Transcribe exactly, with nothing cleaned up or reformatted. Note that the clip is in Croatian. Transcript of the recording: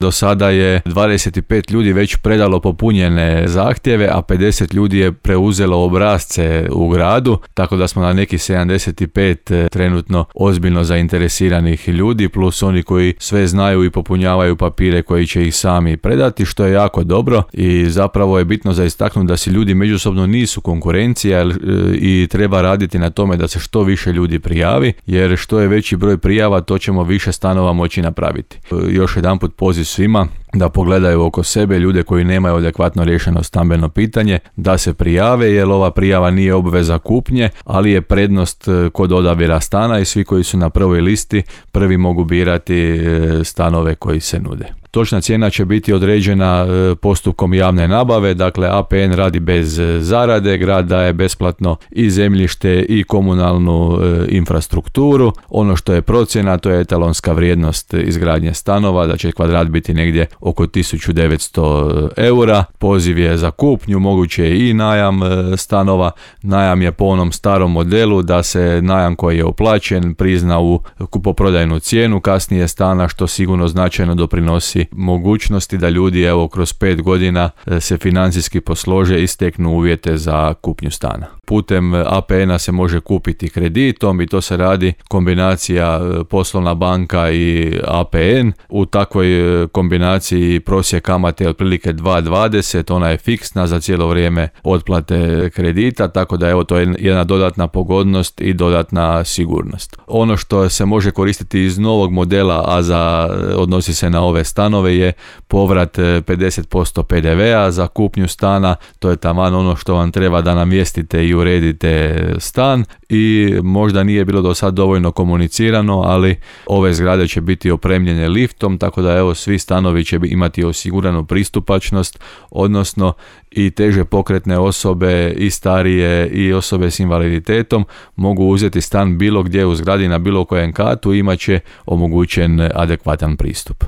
Do sada je dvadeset pet ljudi već predalo popunjene zahtjeve, a pedeset ljudi je preuzelo obrasce u gradu, tako da smo na neki sedamdeset pet trenutno ozbiljno zainteresiranih ljudi, plus oni koji sve znaju i popunjavaju papire koji će ih sami predati, što je jako dobro i zapravo je bitno za istaknuti da si ljudi međusobno nisu konkurencija i treba raditi na tome da se što više ljudi prijavi, jer što je veći broj prijava, to ćemo više stanova moći napraviti. Još jedanput poziv svima da pogledaju oko sebe ljude koji nemaju adekvatno riješeno stambeno pitanje, da se prijave, jer ova prijava nije obveza kupnje, ali je prednost kod odabira stana i svi koji su na prvoj listi prvi mogu birati stanove koji se nude. Točna cijena će biti određena postupkom javne nabave, dakle A P N radi bez zarade, grad daje besplatno i zemljište i komunalnu infrastrukturu. Ono što je procjena, to je etalonska vrijednost izgradnje stanova, da će kvadrat biti negdje oko tisuću devetsto eura. Poziv je za kupnju, moguće je i najam stanova. Najam je po onom starom modelu da se najam koji je uplaćen prizna u kupoprodajnu cijenu kasnije stana, što sigurno značajno doprinosi mogućnosti da ljudi evo kroz pet godina se financijski poslože i steknu uvjete za kupnju stana. Putem A P N-a se može kupiti kreditom i to se radi kombinacija poslovna banka i A P N. U takvoj kombinaciji prosjek kamate je otprilike dva zarez dvadeset, ona je fiksna za cijelo vrijeme otplate kredita, tako da evo to je jedna dodatna pogodnost i dodatna sigurnost. Ono što se može koristiti iz novog modela, a za odnosi se na ove stanove, je povrat pedeset posto P D V-a za kupnju stana. To je taman ono što vam treba da namjestite i uredite stan i možda nije bilo do sad dovoljno komunicirano, ali ove zgrade će biti opremljene liftom, tako da evo svi stanovi će imati osiguranu pristupačnost, odnosno i teže pokretne osobe i starije i osobe s invaliditetom mogu uzeti stan bilo gdje u zgradi na bilo kojem katu i imat će omogućen adekvatan pristup.